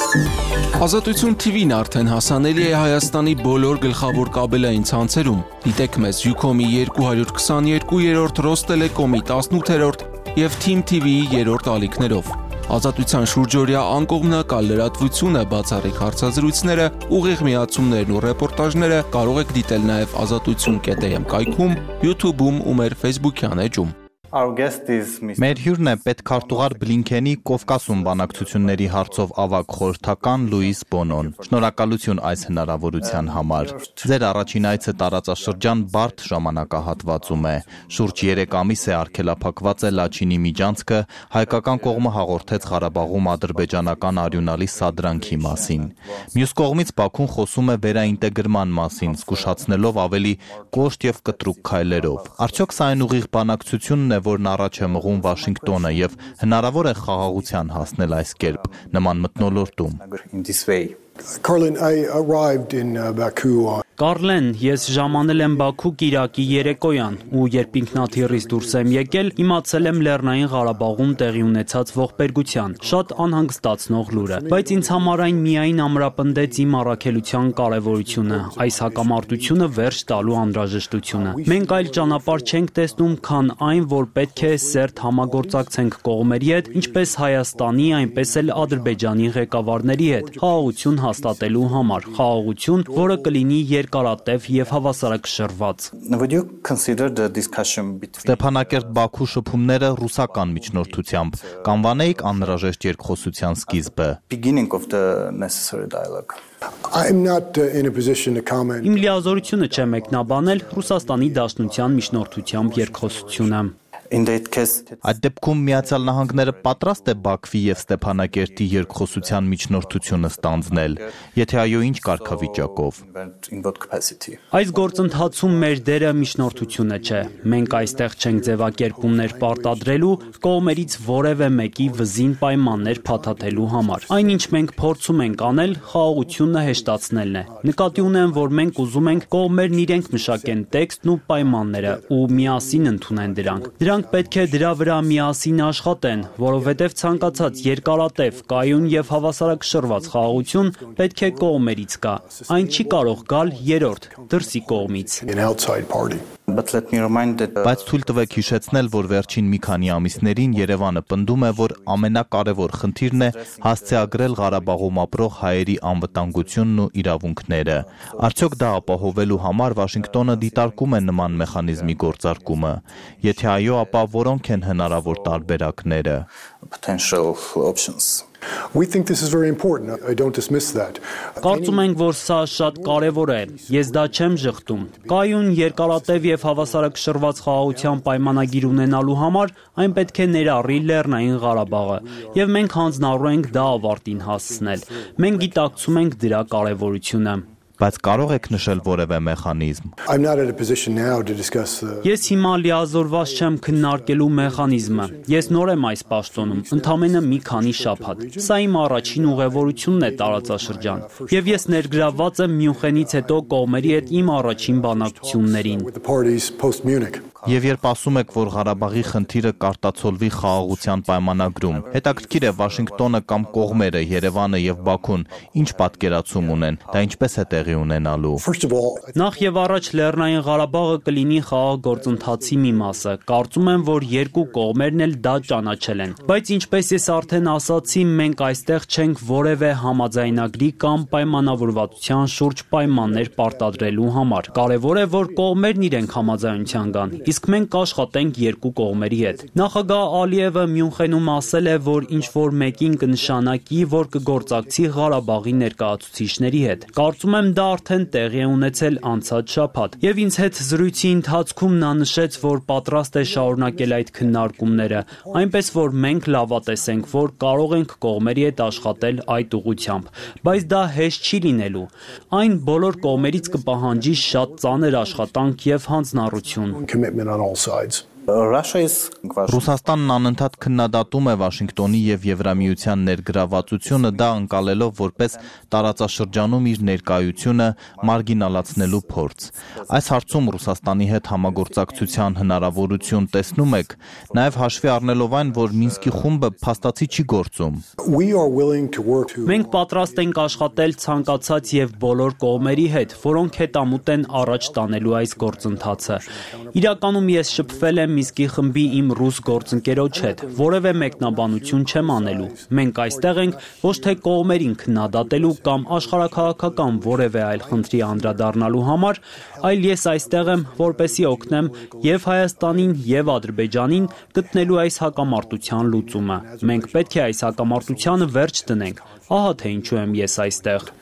Ազատություն TV-ն արդեն հասանելի է Հայաստանի բոլոր գլխավոր կաբելային ցանցերում։ Դիտեք մեզ Ucom-ի 222-րդ, Ռոստելեկոմի 18-րդ և Team TV-ի 3-րդ ալիքներով։ Ազատության շուրջօրյա անկողմնակալ լրատվությունը, բացառիկ հարցազրույցները, ուղիղ միացումներն ու ռեպորտաժները կարող եք դիտել նաև azatutsun.am կայքում, YouTube-ում ու մեր Facebook-յան էջում։ Մեր հյուրն է պետքարտուղար Բլինքենի Կովկասում բանակցությունների հարցով ավագ խորհրդական Լուիս Բոնոն։ Շնորհակալություն այս հնարավորության համար։ Ձեր առաջին այցը տարածաշրջան բարդ ժամանակահատվածում է։ Շուրջ 3 ամիս է արգելափակված է Լաչինի միջանցքը, հայկական կողմը հաղորդեց Ղարաբաղում ադրբեջանական արյունալի սադրանքի մասին։ Մյուս կողմից Բաքուն խոսում է վերաինտեգրման մասին, զգուշացնելով ավելի կոշտ և կտրուկ քայլերով։ Արդյոք սա այն ուղիղ բանակցությունն է, որն առաջ է մղում Վաշինգտոնը և հնարավոր է խաղաղության հասնել այս կերպ, նման մթնոլորտում։ Կարլեն, ես ժամանել եմ Բաքու կիրակի երեկոյան ու երբ ինքնաթիռից դուրս եմ եկել, իմացել եմ Լեռնային Ղարաբաղում տեղի ունեցած ողբերգության, շատ անհանգստացնող լուրը, բայց ինձ համար այն միայն ամրապնդեց իմ առաքելության կարևորությունը, այս հակամարտությունը վերջ տալու անհրաժեշտությունը։ Մենք այլ ճանապարհ չենք տեսնում, քան այն, որ պետք է սերտ համագործակցենք կողմերի հետ, ինչպես Հայաստանի, այնպես էլ Ադրբեջանի ղեկավարների հետ, խաղաղություն հաստատելու համար, խաղաղություն, որը կլինի երկարատև և հավասարակշռված։ Ստեփանակերտ-Բաքու շփումները ռուսական միջնորդությամբ, կանվանեիք անհրաժեշտ երկխոսության սկիզբը։ Իմ լիազորությունը չէ մեկնաբանել Ռուսաստանի Դաշնության միջնորդությամբ երկխոսությունը։ Այդ դեպքում Միացյալ Նահանգները պատրաստ է Բաքվի և Ստեփանակերտի երկխոսության միջնորդությունը ստանձնել, եթե այո, ինչ կարգավիճակով։ Այս գործընթացում մեր դերը միջնորդությունը չէ։ Մենք այստեղ չենք ձևակերպումներ պարտադրելու, կողմերից որևէ մեկի վզին պայմաններ փաթաթելու համար։ Այնինչ մենք փորձում ենք անել, խաղաղությունը հեշտացնելն է։ Նկատի ունեմ, որ մենք ուզում ենք կողմերն իրենք մշակեն տեքստն ու պայմանները ու միասին ընդունեն դրանք։ Դրանք պետք է դրա վրա միասին աշխատեն, որովհետև ցանկացած երկարատև, կայուն և հավասարակշռված խաղաղություն պետք է կողմերից գա։ Այն չի կարող գալ երրորդ, դրսի կողմից։ Բայց թույլ տվեք հիշեցնել, որ վերջին մի քանի ամիսներին Երևանը պնդում է, որ ամենակարևոր խնդիրն է հասցեագրել Ղարաբաղում ապրող հայերի անվտանգությունն ու իրավունքները։ Արդյոք դա ապահովելու համար Վաշինգտոնը դիտարկում է նման մեխանիզմի գործարկումը։ Եթե այո, ապա որոնք են հնարավոր տարբերակները։ Կարծում ենք, որ սա շատ կարևոր է։ Ես դա չեմ ժխտում։ Կայուն, երկարատև և հավասարակշռված խաղաղության պայմանագիր ունենալու համար այն պետք է ներառի Լեռնային Ղարաբաղը, և մենք հանձնառու ենք դա ավարտին հասցնել։ Մենք գիտակցում ենք դրա կարևորությունը։ Բայց կարող եք նշել որևէ մեխանիզմ։ Ես հիմա լիազորված չեմ քննարկելու մեխանիզմը։ Ես նոր եմ այս պաշտոնում, ընդամենը մի քանի շաբաթ։ Սա իմ առաջին ուղևորությունն է տարածաշրջան։ Եվ ես ներգրավված եմ Մյունխենից հետո կողմերի հետ իմ առաջին բանակցություններին։ Եվ երբ ասում եք, որ Ղարաբաղի խնդիրը կարտացոլվի խաղաղության պայմանագրում, հետաքրքիր է Վաշինգտոնը կամ կողմերը, Երևանը և Բաքուն, ինչ պատկերացում ունեն, դա ինչպես է տեղի ունենալու։ Նախ եւ առաջ Լեռնային Ղարաբաղը կլինի խաղաղ գործընթացի մի մասը։ Կարծում եմ, որ երկու կողմերն էլ դա ճանաչել են։ Բայց ինչպես ես արդեն ասացի, մենք այստեղ չենք որևէ համաձայնագրի կամ պայմանավորվածության շուրջ պայմաններ պարտադրելու համար։ Կարևոր է, որ կողմերն իրենք համաձայնության գան, իսկ մենք կաշխատենք երկու կողմերի հետ։ Նախագահ Ալիևը Մյունխենում ասել է, որ ինչ-որ մեկին կնշանակի, որ կգործակցի Ղարաբաղի ներկայացուցիչների հետ։ Կարծում եմ դա արդեն տեղի է ունեցել անցած շաբաթ, եւ ինձ հետ զրույցի ընթացքում նա նշեց, որ պատրաստ է շարունակել այդ քննարկումները, այնպես որ մենք լավատես ենք, որ կարող ենք կողմերի հետ աշխատել այդ ուղղությամբ, բայց դա հեշտ չի լինելու։ Այն բոլոր կողմերից կպահանջի շատ ծանր աշխատանք եւ հանձնառություն։ Ռուսաստանն անընդհատ քննադատում է Վաշինգտոնի եւ Եվրամիության ներգրավվածությունը, դա ընկալելով որպես տարածաշրջանում իր ներկայությունը մարգինալացնելու փորձ։ Այս հարցում Ռուսաստանի հետ համագործակցության հնարավորություն տեսնում եք, նաեւ հաշվի առնելով այն, որ Մինսկի խումբը փաստացի չի գործում։ Մենք պատրաստ ենք աշխատել ցանկացած եւ բոլոր կողմերի հետ, որոնք հետամուտ են առաջ տանելու այս գործընթացը։ Իրականում ես շփվել եմ Մինսկի խմբի իմ ռուս գործընկերոջ հետ, որևէ մեկնաբանություն չեմ անելու։ Մենք այստեղ ենք ոչ թե կողմերին քննադատելու կամ աշխարհաքաղաքական որևէ այլ խնդրի անդրադառնալու համար, այլ ես այստեղ եմ, որպեսզի օգնեմ եւ Հայաստանին եւ Ադրբեջանին գտնելու այս հակամարտության լուծումը։ Մենք պետք է այս հակամարտությանը վերջ դնենք։ Ահա թե ինչու եմ ես այստեղ։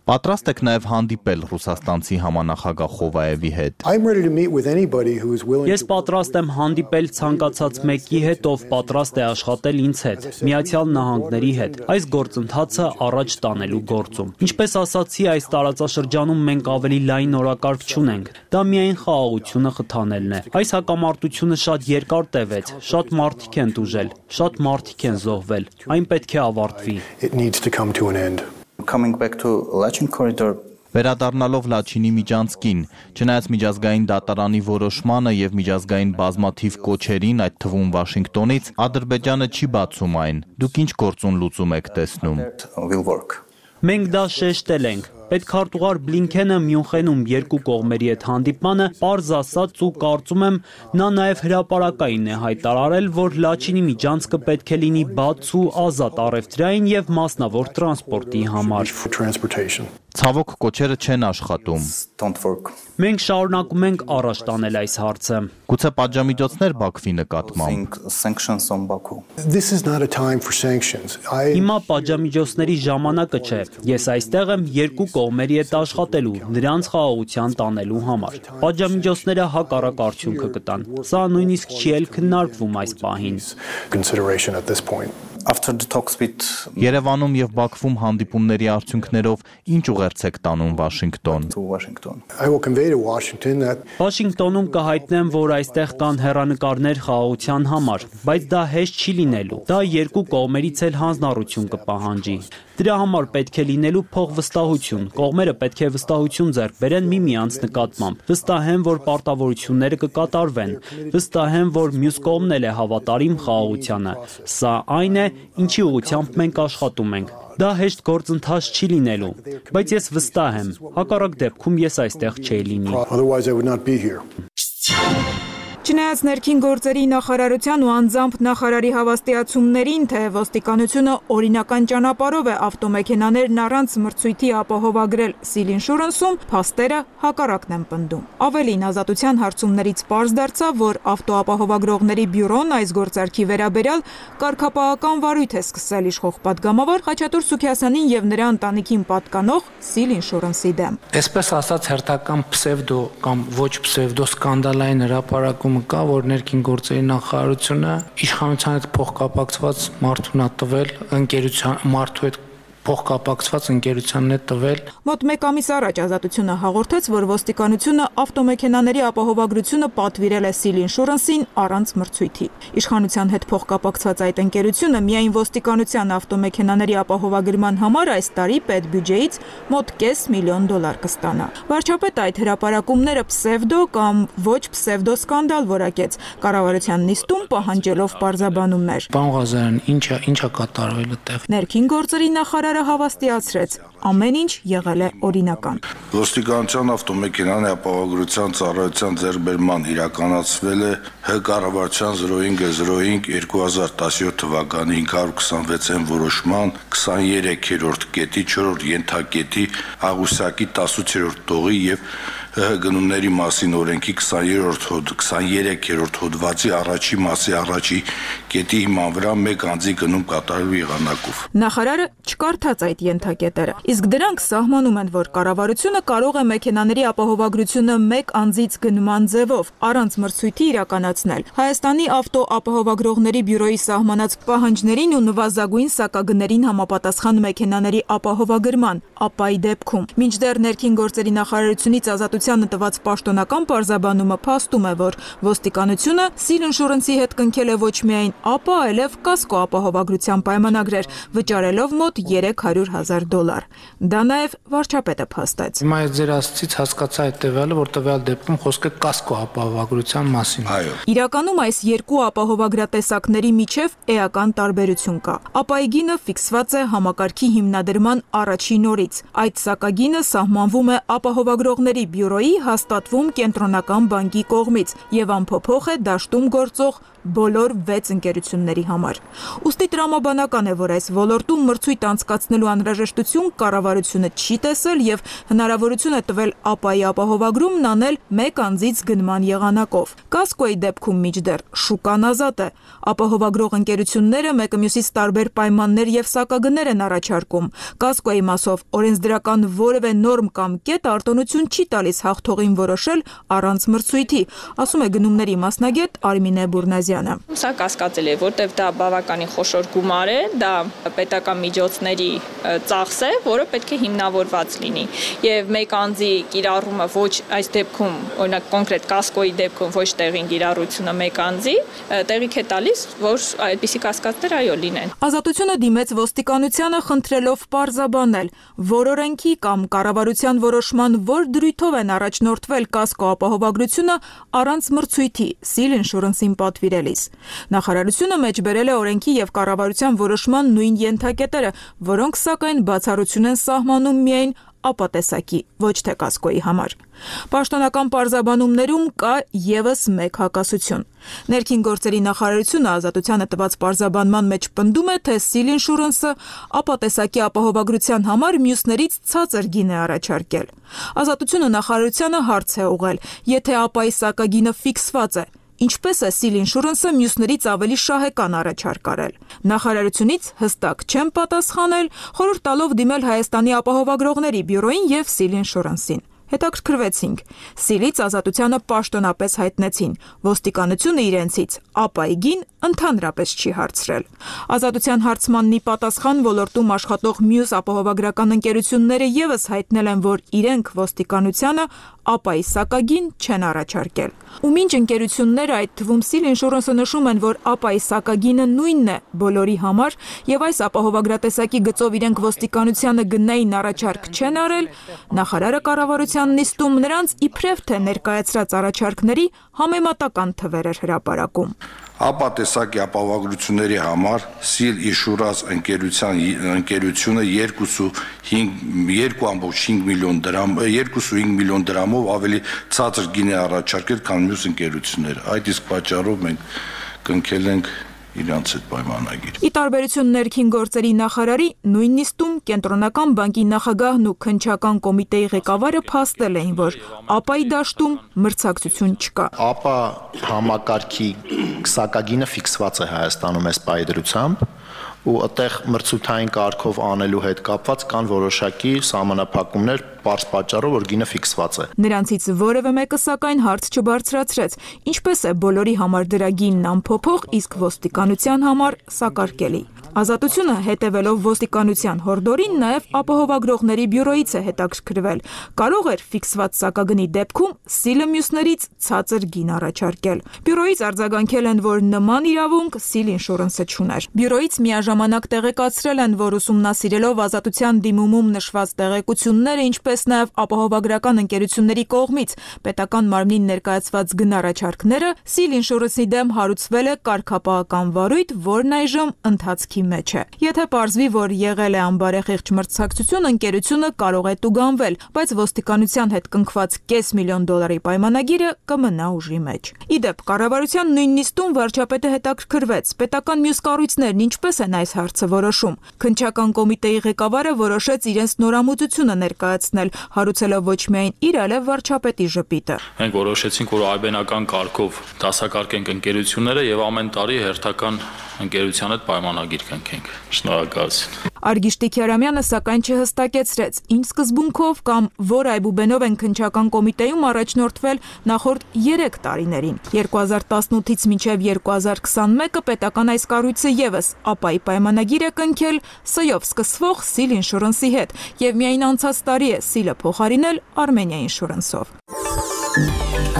Պատրաստ եք նաև հանդիպել ռուսաստանցի համանախագահ Խովայևի հետ։ Ես պատրաստ եմ հանդիպել ցանկացած մեկի հետ, ով պատրաստ է աշխատել ինձ հետ, Միացյալ Նահանգների հետ, այս գործընթացը առաջ տանելու գործում։ Ինչպես ասացի, այս տարածաշրջանում մենք ավելի լայն օրակարգ չունենք։ Դա միայն խաղաղությունը խթանելն է։ Այս հակամարտությունը շատ երկար տևեց, շատ մարդիկ են տուժել, շատ մարդիկ են զոհվել։ Այն պետք է ավարտվի։ Coming back to Lachin corridor. Վերադառնալով Լաչինի միջանցքին, չնայած միջազգային դատարանի որոշմանը եւ միջազգային բազմաթիվ կոչերին, այդ թվում Վաշինգտոնից, Ադրբեջանը չի բացում այն։ Դուք ինչ գործուն լուծում եք տեսնում։ Մենք դա շեշտել ենք։ Պետքարտուղար Բլինքենը Մյունխենում երկու կողմերի հետ հանդիպմանը պարզ ասաց ու կարծում եմ նա նաև հրապարակային է հայտարարել, որ Լաչինի միջանցքը պետք է լինի բաց ու ազատ առևտրային եւ մասնավոր տրանսպորտի համար։ Ցավոք կոչերը չեն աշխատում։ Մենք շարունակում ենք առաջ տանել այս հարցը։ Գուցե պատժամիջոցներ Բաքվի նկատմամբ։ Հիմա պատժամիջոցների ժամանակը չէ։ Ես այստեղ եմ երկու կողմերի հետ աշխատելու, նրանց խաղաղության տանելու համար։ Պատժամիջոցները հակառակ արդյունքը կտան։ Սա նույնիսկ չի էլ քննարկվում այս պահին։ Երևանում եւ Բաքվում հանդիպումների արդյունքներով ինչ ուղերձ տանում Վաշինգտոն։ Վաշինգտոնում կհայտնեմ, որ այստեղ կան հեռանկարներ խաղաղության համար, բայց դա հեշտ չի լինելու։ Դա երկու կողմերից էլ հանձնառություն կպահանջի։ Դրա համար պետք է լինելու փոխվստահություն։ Կողմերը պետք է վստահություն ձեռք բերեն միմյանց նկատմամբ։ Վստահ եմ, որ պարտավորությունները կկատարվեն։ Վստահ եմ, որ մյուս կողմն էլ է հավատարիմ խաղաղությանը։ Սա այն է, ինչի ուղղությամբ մենք աշխատում ենք։ Դա հեշտ գործընթաց չի լինելու, բայց ես վստահ եմ, հակառակ դեպքում ես այստեղ չէի լինի։ Չնայած ներքին գործերի նախարարության ու անձամբ նախարարի հավաստիացումներին, թե ոստիկանությունը օրինական ճանապարհով է ավտոմեքենաներն առանց մրցույթի ապահովագրել Seal Insurance-ում, փաստերը հակառակն են պնդում։ Ավելին, ազատության հարցումներից պարզ դարձավ, որ ավտոապահովագրողների բյուրոն այս գործարքի վերաբերյալ կարգապահական վարույթ է սկսել իշխող պատգամավոր Խաչատուր Սուքիասյանին եւ նրա ընտանիքին պատկանող Seal Insurance-ի դեմ։ Այսպես ասած, հերթական պսևդո կամ ոչ պսևդո սկանդալային հրապարակում կա, որ ներքին գործերի նախարարությունը իշխանության հետ փոխկապակցված մարդուն է տվել մարդու հետ փոխկապակցված ընկերությանն է տվել։ Մոտ 1 ամիս առաջ ազատությունը հաղորդեց, որ ոստիկանությունը ավտոմեքենաների ապահովագրությունը պատվիրել է Seal Insurance-ին առանց մրցույթի։ Իշխանության հետ փոխկապակցված այդ ընկերությունը միայն ոստիկանության ավտոմեքենաների ապահովագրման համար այս տարի պետբյուջեից մոտ $500,000 կստանա։ Վարչապետը այդ հրապարակումները պսևդո կամ ոչ պսևդո սկանդալ որակեց, կառավարության նիստում պահանջելով պարզաբանումներ։ Պարոն Ղազարյան, ինչա կատարվել այդտեղ։ Ներքին գործերի նախարարը հավաստիացրեց, ամեն ինչ եղել է օրինական։ Ոստիկանության ավտոմեքենաների ապահովագրության ծառայության ձեռքբերման իրականացվել է ՀՀ կառավարության 05/05/2017 թվականի 526-ին որոշման 23-րդ կետի 4-րդ ենթակետի Աղուսակի 18-րդ տողի եւ ՀՀ գնումների մասին օրենքի 23-րդ հոդվածի առաջի մասի առաջի կետի հիման վրա մեկ անձի գնում կատարելու եղանակով։ Նախարարը չկարդաց այդ ենթակետերը, իսկ դրանք սահմանում են, որ կառավարությունը կարող է մեքենաների ապահովագրությունը մեկ անձից գնման ձևով առանց մրցույթի իրականացնել։ Հայաստանի ավտոապահովագրողների բյուրոյի սահմանած պահանջներին ու նվազագույն սակագներին համապատասխան մեքենաների ապահովագրման, ապայի դեպքում։ Մինչդեռ ներքին գործերի նախարարությունից ազատության ազատությանը տված պաշտոնական պարզաբանումը փաստում է, որ ոստիկանությունը Seal Insurance-ի հետ կնքել է ոչ միայն ԱՊԱ, այլև կասկո ապահովագրության պայմանագրեր, վճարելով մոտ $300,000։ Դա նաև վարչապետը փաստեց։ Հիմա ես ձեր ասացից հասկացա հետևյալը, որ տվյալ դեպքում խոսքը կասկո ապահովագրության մասին։ Այո։ Իրականում այս երկու ապահովագրատեսակների միջև էական տարբերություն կա։ ԱՊԱ-ի գինը ֆիքսված է համակարգի հիմնադրման առաջին օրից։ Այդ սակագինը սահմանվում է ապահովագրողների բյուրոյի հաստատվում կենտրոնական բանկի կողմից եւ անփոփոխ է դաշտում գործող բոլոր 6 ընկերությունների համար։ Ուստի տրամաբանական է, որ այս ոլորտում մրցույթ անցկացնելու անհրաժեշտություն կառավարությունը չի տեսել եւ հնարավորություն է տվել ԱՊԱ-ի ապահովագրումն անել մեկ անձից գնման եղանակով։ Կասկոյի դեպքում մինչդեռ շուկան ազատ է։ Ապահովագրող ընկերությունները մեկը մյուսից տարբեր պայմաններ եւ սակագներ են առաջարկում։ Կասկոյի մասով օրենսդրական որևէ նորմ կամ կետ արտոնություն չի տալիս հաղթողին որոշել առանց մրցույթի, ասում է գնումների մասնագետ Արմինե Բուրնազյանը։ Սա կասկածելի է, որտեղ դա բավականին խոշոր գումար է, դա պետական միջոցների ծախս է, որը պետք է հիմնավորված լինի։ Եվ մեկ անձի կիրառումը ոչ այս դեպքում, օրինակ կոնկրետ կասկոյի դեպքում ոչ տեղին կիրառությունը մեկ անձի, տեղիք է տալիս, որ այդպիսի կասկածներ այո լինեն։ Ազատությունը դիմեց ոստիկանությանը խնդրելով պարզաբանել, որ օրենքի կամ կառավարության որոշման որ դրույթով են առաջնորդվել կասկո ապահովագրությունը առանց մրցույթի Seal Insurance-ին պատվիրելիս։ Նախարարությունը մեջբերել է օրենքի եւ կառավարության որոշման նույն ենթակետերը, որոնք սակայն բացառություն են սահմանում միայն ԱՊԱ տեսակի, ոչ թե կասկոյի համար։ Պաշտոնական պարզաբանումներում կա եւս մեկ հակասություն։ Ներքին գործերի նախարարությունը ազատությանը տված պարզաբանման մեջ պնդում է, թե Seal Insurance-ը ԱՊԱ տեսակի ապահովագրության համար մյուսներից ցածր գին է առաջարկել։ Ազատությունը նախարարությանը հարց է ուղղել, եթե ԱՊԱ-ի սակագինը ֆիքսված է, ինչպես է Seal Insurance-ը մյուսներից ավելի շահեկան առաջարկ արել։ Նախարարությունից հստակ չեն պատասխանել, խորհուրդ տալով դիմել Հայաստանի ապահովագրողների բյուրոյին եւ Seal Insurance-ին։ Հետաքրքրվեցինք։ Seal-ից ազատությանը պաշտոնապես հայտնեցին։ Ոստիկանությունը իրենցից ԱՊԱ-ի գին ընդհանրապես չի հարցրել։ Ազատության հարցմաննի պատասխան ոլորտում աշխատող մյուս ապահովագրական ընկերությունները եւս հայտնել են, որ իրենք ոստիկանությանը ԱՊԱ-ի սակագին չեն առաջարկել։ Ու մինչ ընկերությունները, այդ թվում Seal Insurance-ը նշում են, որ ԱՊԱ-ի սակագինը նույնն է բոլորի համար եւ այս ապահովագրատեսակի գծով իրենք ոստիկանությանը գնային առաջարկ չեն արել, նախարարը կառավարության նիստում նրանց իբրև թե ներկայացրած առաջարկների համեմատական թվեր էր հրապարակում։ ԱՊԱ տեսակի ապահովագրությունների համար Seal Insurance ընկերությունը 2.5 միլիոն դրամով ավելի ցածր գին է առաջարկել, քան մյուս ընկերությունները։ Այդ իսկ պատճառով մենք կնքել ենք իրանց այդ պայմանագիր։ Ի տարբերություն ներքին գործերի նախարարի, նույն նիստում կենտրոնական բանկի նախագահն ու քննչական կոմիտեի ղեկավարը փաստել էին, որ ԱՊԱ-ի դաշտում մրցակցություն չկա։ ԱՊԱ համակարգի սակագինը ֆիքսված է Հայաստանում այս պայդրությամբ ու այդտեղ մրցութային կարգով անելու հետ կապված կան որոշակի սահմանափակումներ պարզ պատճառով, որ գինը ֆիքսված է։ Նրանցից որևէ մեկը սակայն հարց չբարձրացրեց, ինչպես է բոլորի համար դրա գինն անփոփոխ, իսկ ոստիկանության համար սակարկելի։ Ազատությունը հետևելով ոստիկանության հորդորին նաև ապահովագրողների բյուրոյից է հետաքրքրվել։ Կարող էր ֆիքսված սակագնի դեպքում Seal-ը մյուսներից ցածր գին առաջարկել։ Բյուրոյից արձագանքել են, որ նման իրավունք Seal Insurance-ը չուներ։ Բյուրոյից միաժամանակ տեղեկացրել են, որ ուսումնասիրելով ազատության դիմումում նշված տեղեկությունները, ինչպես նաև ապահովագրական ընկերությունների կողմից պետական մարմնին ներկայացված գնառաջարկները, Seal Insurance-ի դեմ հարուցվել է կարգապահական վարույթ, որն այժմ ընթացքի մեջ է։ Եթե պարզվի, որ եղել է անբարեխիղճ մրցակցություն, ընկերությունը կարող է տուգանվել, բայց ոստիկանության հետ կնքված $500,000 պայմանագիրը կմնա ուժի մեջ։ Իդեպ, կառավարության նույն նիստում վարչապետը հետաքրքրվեց, պետական մյուս կառույցներն ինչպես են այս հարցը որոշում։ Քննչական կոմիտեի ղեկավարը որոշեց իրենց նորամուծությունը ներկայացնել, հարուցելով ոչ միայն իր, այլև վարչապետի ժպիտը։ Մենք որոշեցինք, որ այբենական կարգով դասակարգենք ընկերությունները եւ ամեն տարի հերթական ընկերության հետ պայմանագիր կնքենք։ Շնորհակալություն։ Արգիշտի Քյարամյանը սակայն չհստակեցրեց, ինչ սկզբունքով կամ որ այբուբենով են քննչական կոմիտեում առաջնորդվել նախորդ 3 տարիներին։ 2018-ից մինչև 2021-ը պետական այս կառույցը եւս ԱՊԱ-ի պայմանագիր է կնքել ՍՅ-ով սկսվող Seal Insurance-ի հետ եւ միայն անցած տարի է Seal-ը փոխարինել Armenia Insurance-ով։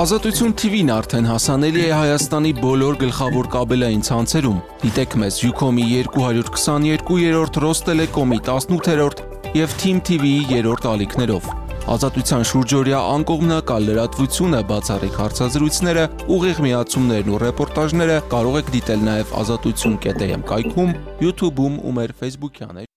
Ազատություն TV-ն արդեն հասանելի է Հայաստանի բոլոր գլխավոր կաբելային ցանցերում։ Դիտեք մեզ Ucom-ի 222-րդ, Rosttelecom-ի 18-րդ եւ Team TV-ի 3-րդ ալիքներով։ Ազատության շուրջօրյա անկողմնակալ լրատվությունը, բացառիկ հարցազրույցները, ուղիղ միացումներն ու ռեպորտաժները կարող եք դիտել նաեւ azatutsun.am կայքում, YouTube-ում ու մեր Facebook-յան